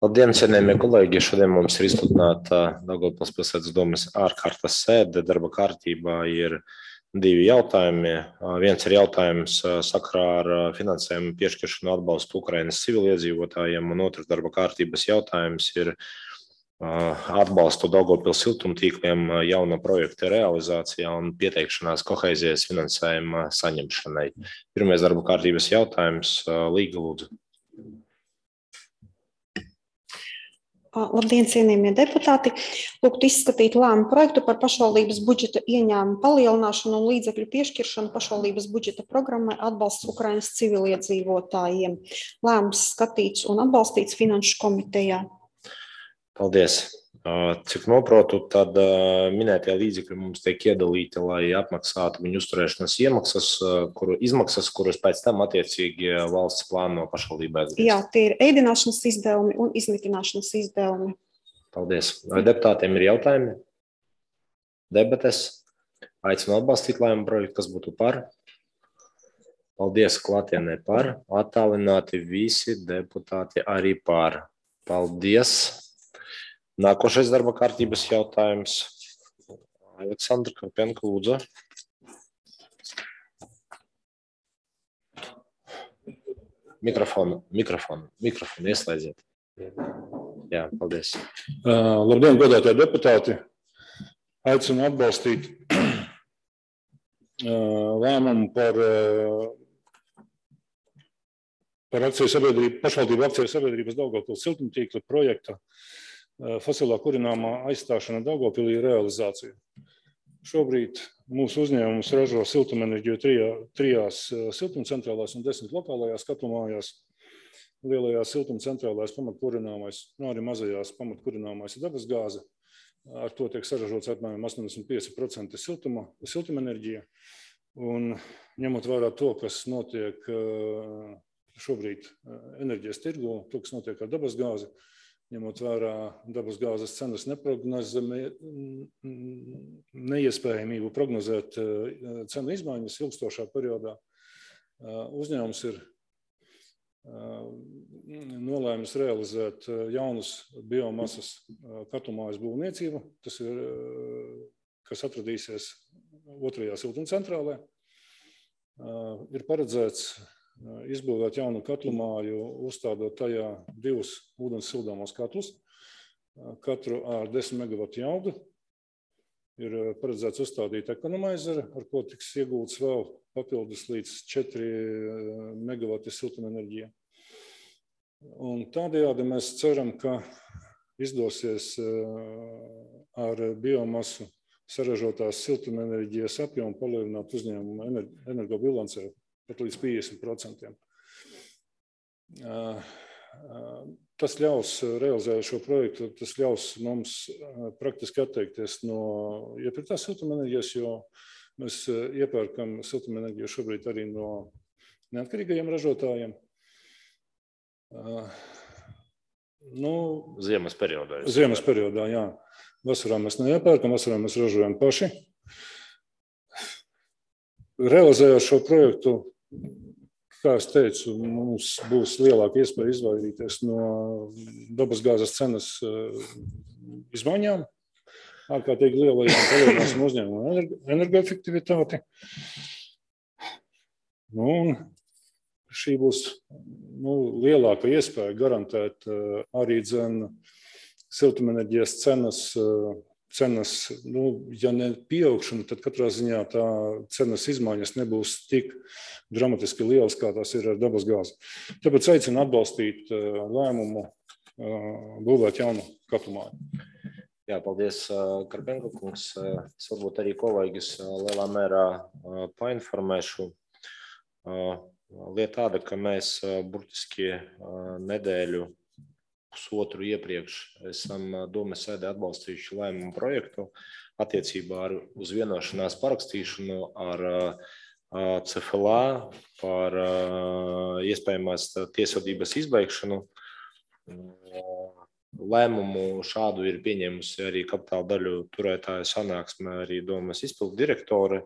Labdien, cienījamie kolēģi! Šodien mums ir izsludināta Daugavpils pilsētas domes ārkārtas sēde. Darba kārtībā ir divi jautājumi. Viens ir jautājums sakarā ar finansējumu piešķiršanu atbalstu Ukrainas civiliedzīvotājiem, un otrs darba kārtības jautājums ir atbalstu Daugavpils siltumtīkliem jauna projekta realizācijā un pieteikšanās kohēzijas finansējuma saņemšanai. Pirmais darba kārtības jautājums. Līga, lūdzu. Labdien, cienījamie deputāti! Lūgtu izskatīt lēmumu projektu par pašvaldības budžeta ieņēmumu palielināšanu un līdzekļu piešķiršanu pašvaldības budžeta programmai atbalsts Ukrainas civiliedzīvotājiem. Lēmums skatīts un atbalstīts Finanšu komitejā. Paldies! Cik noprotu, tad minētie līdzekļi mums tiek iedalīti, lai apmaksātu viņu uzturēšanas izmaksas, kuras pēc tam attiecīgi valsts plāno pašvaldībā atgriezt. Jā, tie ir ēdināšanas izdevumi un izmitināšanas izdevumi. Paldies! Vai deputātiem ir jautājumi? Debates? Aicinu atbalstīt lēmumu projektu, kas būtu par. Paldies, klātienē par. Attālināti visi deputāti arī par. Paldies! Nākošais darba kārtības jautājums. Aleksandra Karpenko, lūdzu. Mikrofonu ieslēdziet. Jā, paldies. Labdien, godātie deputāti. Aicinu atbalstīt lēmumu par pašvaldību akciju sabiedrības Daugavpils siltumtīkla projekta fosilā kurināmā aizstāšana Daugavpilī realizācija. Šobrīd mūsu uzņēmums ražo siltumenerģiju trijās siltumcentrālās un 10 lokālajās katlumājās. Lielajās siltumcentrālās pamatkurināmais, arī mazajās pamatkurināmais ir dabasgāze. Ar to tiek saražots apmēram 85% siltumenerģija. Un ņemot vērā to, kas notiek šobrīd enerģijas tirgu, to, kas notiek ar dabasgāzi, ņemot vērā dabasgāzes cenas neiespējamību prognozēt cenu izmaiņas ilgstošā periodā, uzņēmums ir nolēmis realizēt jaunus biomasas katlumājas būvniecību, tas ir, kas atradīsies otrajā siltumcentrālē. Ir paredzēts izbūvēt jaunu katlumāju, uzstādot tajā 2 ūdens sildāmos katlus, katru ar 10 megavatu jaudu. Ir paredzēts uzstādīt ekonomaizeru, ar ko tiks iegūts vēl papildus līdz 4 megavati siltumenerģija. Un tādējādi mēs ceram, ka izdosies ar biomasu saražotās siltumenerģijas apjomu palielināt uzņēmuma energobilancē pat līdz 50%. Tas ļaus realizēt šo projektu, tas ļaus mums praktiski atteikties no iepirktās siltumenerģijas, jo mēs iepērkam siltumenerģiju šobrīd arī no neatkarīgajiem ražotājiem. Ziemas periodā. Ziemas periodā, jā. Vasarā mēs neiepērkam, vasarā mēs ražojam paši. Realizējot šo projektu, kā es teicu, mums būs lielāka iespēja izvairīties no dabasgāzes cenas izmaiņām, ārkārtīgi lielajām palielināsim uzņēmumu energoefektivitāti. Un šī būs lielāka iespēja garantēt arī siltumenerģijas cenas, ja ne pieaugšana, tad katrā ziņā tā cenas izmaiņas nebūs tik dramatiski lielas, kā tās ir ar dabasgāzi. Tāpēc aicinu atbalstīt lēmumu būvēt jaunu katlumāju. Jā, paldies, Karpenko kungs. Es varbūt arī kolēģis lielā mērā painformēšu. Lieta tāda, ka mēs burtiski nedēļu pusotru iepriekš esam domes sēdē atbalstījuši lēmumu projektu attiecībā uz vienošanās parakstīšanu ar CFLA par iespējamās tiesvedības izbeigšanu. Lēmumu šādu ir pieņēmusi arī kapitāla daļu turētāja sanāksme, arī domes izpildu direktore.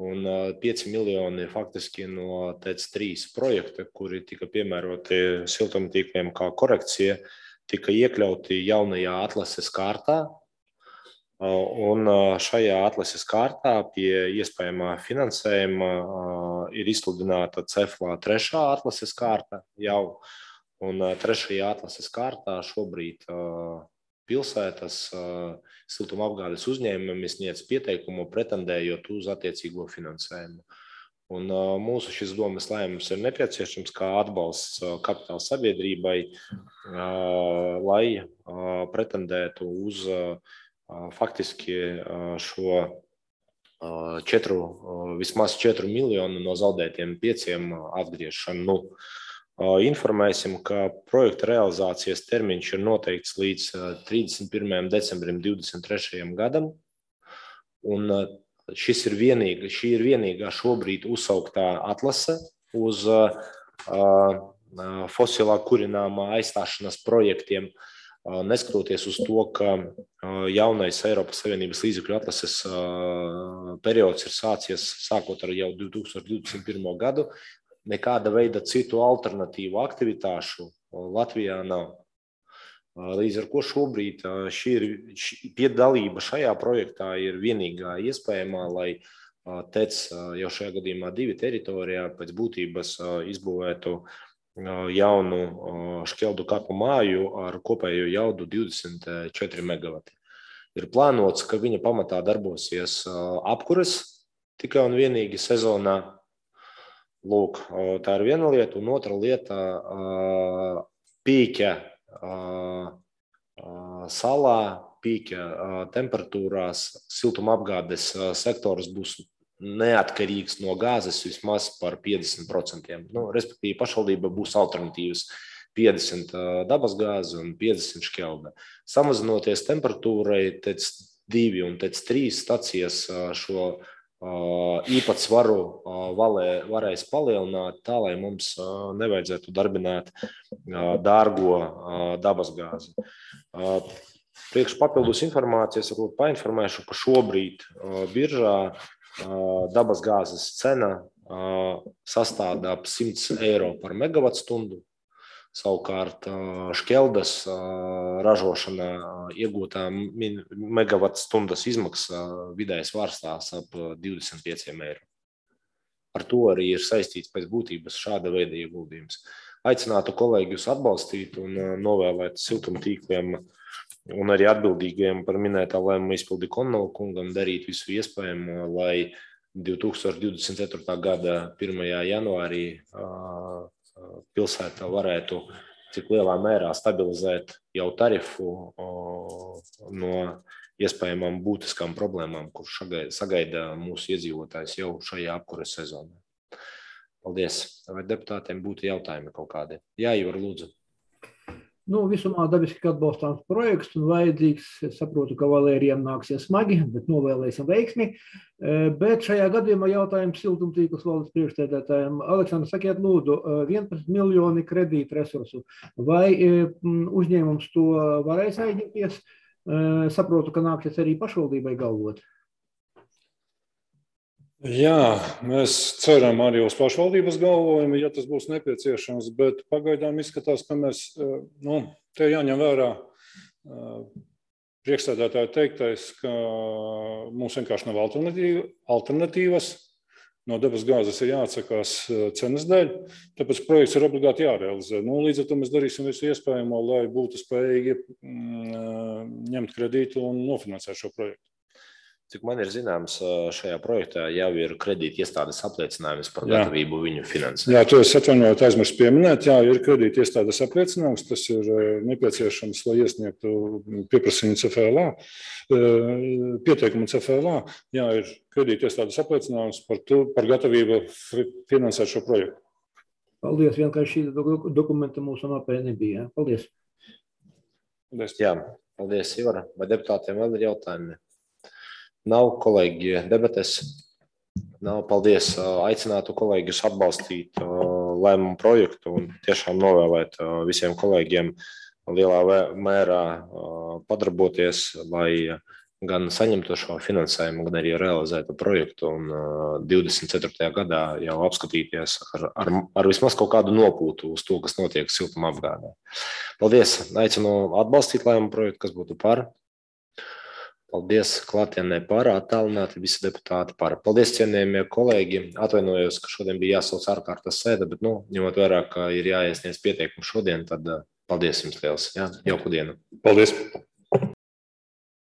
Un 5 miljoni faktiski no TEC 3 projekta, kuri tika piemēroti siltumtīkliem kā korekcija, tika iekļauti jaunajā atlases kārtā. Un šajā atlases kārtā pie iespējamā finansējuma ir izsludināta CEFLA 3. atlases kārta jau. Un 3. atlases kārtā šobrīd pilsētas siltumapgādes uzņēmumi sniedz pieteikumu pretendējot uz attiecīgo finansējumu. Un mūsu šis domas lēmums ir nepieciešams kā atbalsts kapitāla sabiedrībai, lai pretendētu uz faktiski šo vismaz 4 miljonu no zaudētiem 5 atgriešanu. Informēsim, ka projekta realizācijas termiņš ir noteikts līdz 31. decembrim 2023. gadam. Un šī ir vienīgā šobrīd uzsauktā atlase uz fosilā kurināmā aizstāšanas projektiem, neskatoties uz to, ka jaunais Eiropas Savienības līdzekļu atlases periods ir sācies sākot ar jau 2021. gadu, nekāda veida citu alternatīvu aktivitāšu Latvijā nav. Līdz ar ko šobrīd piedalība šajā projektā ir vienīgā iespējamā, lai TEC jau šajā gadījumā 2 teritorijā pēc būtības izbūvētu jaunu šķeldu kaklu māju ar kopējo jaudu 24 megavati. Ir plānots, ka viņa pamatā darbosies apkures tikai un vienīgi sezonā. Lūk, tā ir viena lieta, un otra lieta pīķa salā, pīķa temperatūrās siltumapgādes sektors būs neatkarīgs no gāzes vismaz par 50%. Respektīvi, pašvaldība būs alternatīvas 50 dabasgāze un 50 šķelda. Samazinoties temperatūrai, TEC 2 un TEC 3 stacijas šo īpatsvaru varēs palielināt tā, lai mums nevajadzētu darbināt dārgo dabasgāzi. Priekš papildus informācijas painformēšu, ka šobrīd biržā dabasgāzes cena sastāda ap 100 eiro par megavatstundu. Savukārt šķeldas ražošanā iegūtā megavatstundas izmaksa vidējais vārstās ap 25 eiro. Ar to arī ir saistīts pēc būtības šāda veida ieguldījums. Aicinātu kolēģus atbalstīt un novēlēt siltumtīkliem un arī atbildīgajiem par minētā lēmuma izpildi Konnola kungam darīt visu iespējamo, lai 2024. gada 1. janvārī pilsēta varētu cik lielā mērā stabilizēt jau tarifu no iespējamām būtiskām problēmām, kurš sagaida mūsu iedzīvotājs jau šajā apkures sezonā. Paldies. Vai deputātiem būtu jautājumi kaut kādi? Jā, Ivar, lūdzu. Visumā dabiski atbalstāms projekts un vajadzīgs. Es saprotu, ka Valērijam nāksies smagi, bet novēlēsim veiksmi. Bet šajā gadījumā jautājums siltumtīkls valdes priekšsēdētājiem. Aleksandrs, sakiet lūdzu, 11 miljoni kredītu resursu. Vai uzņēmums to varēs aizņemties? Saprotu, ka nāksies arī pašvaldībai galvot. Jā, mēs ceram arī uz pašvaldības galvojumu, ja tas būs nepieciešams, bet pagaidām izskatās, ka mēs, te jāņem vērā priekšsēdētāja teiktais, ka mums vienkārši nav alternatīvas. No dabasgāzes ir jāatsakās cenas dēļ, tāpēc projekts ir obligāti jārealizē. Līdz ar to mēs darīsim visu iespējamo, lai būtu spējīgi ņemt kredītu un nofinansēt šo projektu. Cik man ir zināms, šajā projektā jau ir kredīta iestādes apliecinājums par gatavību viņu finansēt. Jā, to es atvainojos aizmirsu pieminēt. Jā, ir kredīta iestādes apliecinājums. Tas ir nepieciešams, lai iesniegtu pieprasījumu CFLA, pieteikumu CFLA. Jā, ir kredīta iestādes apliecinājums par gatavību finansēt šo projektu. Paldies, vienkārši šī dokumenta mūsu mapē nebija. Paldies. Paldies. Jā, paldies, Ivar. Vai deputātiem vēl ir jautājumi? Nav, kolēģi, debates. Nav, paldies. Aicinātu kolēģus atbalstīt lēmumu projektu un tiešām novēlēt visiem kolēģiem lielā mērā padarboties, lai gan saņemto šo finansējumu, gan arī realizēto projektu un 24. gadā jau apskatīties ar vismaz kaut kādu nopūtu uz to, kas notiek siltuma apgādē. Paldies! Aicinu atbalstīt lēmumu projektu, kas būtu par. Paldies klātienē par, attālināti visi deputāti par. Paldies, cienījamie kolēģi. Atvainojos, ka šodien bija jāsauc ārkārtas sēde, bet, ņemot vērā, ka ir jāiesniedz pieteikumi šodien, tad paldies jums liels. Jā, jauku dienu. Paldies!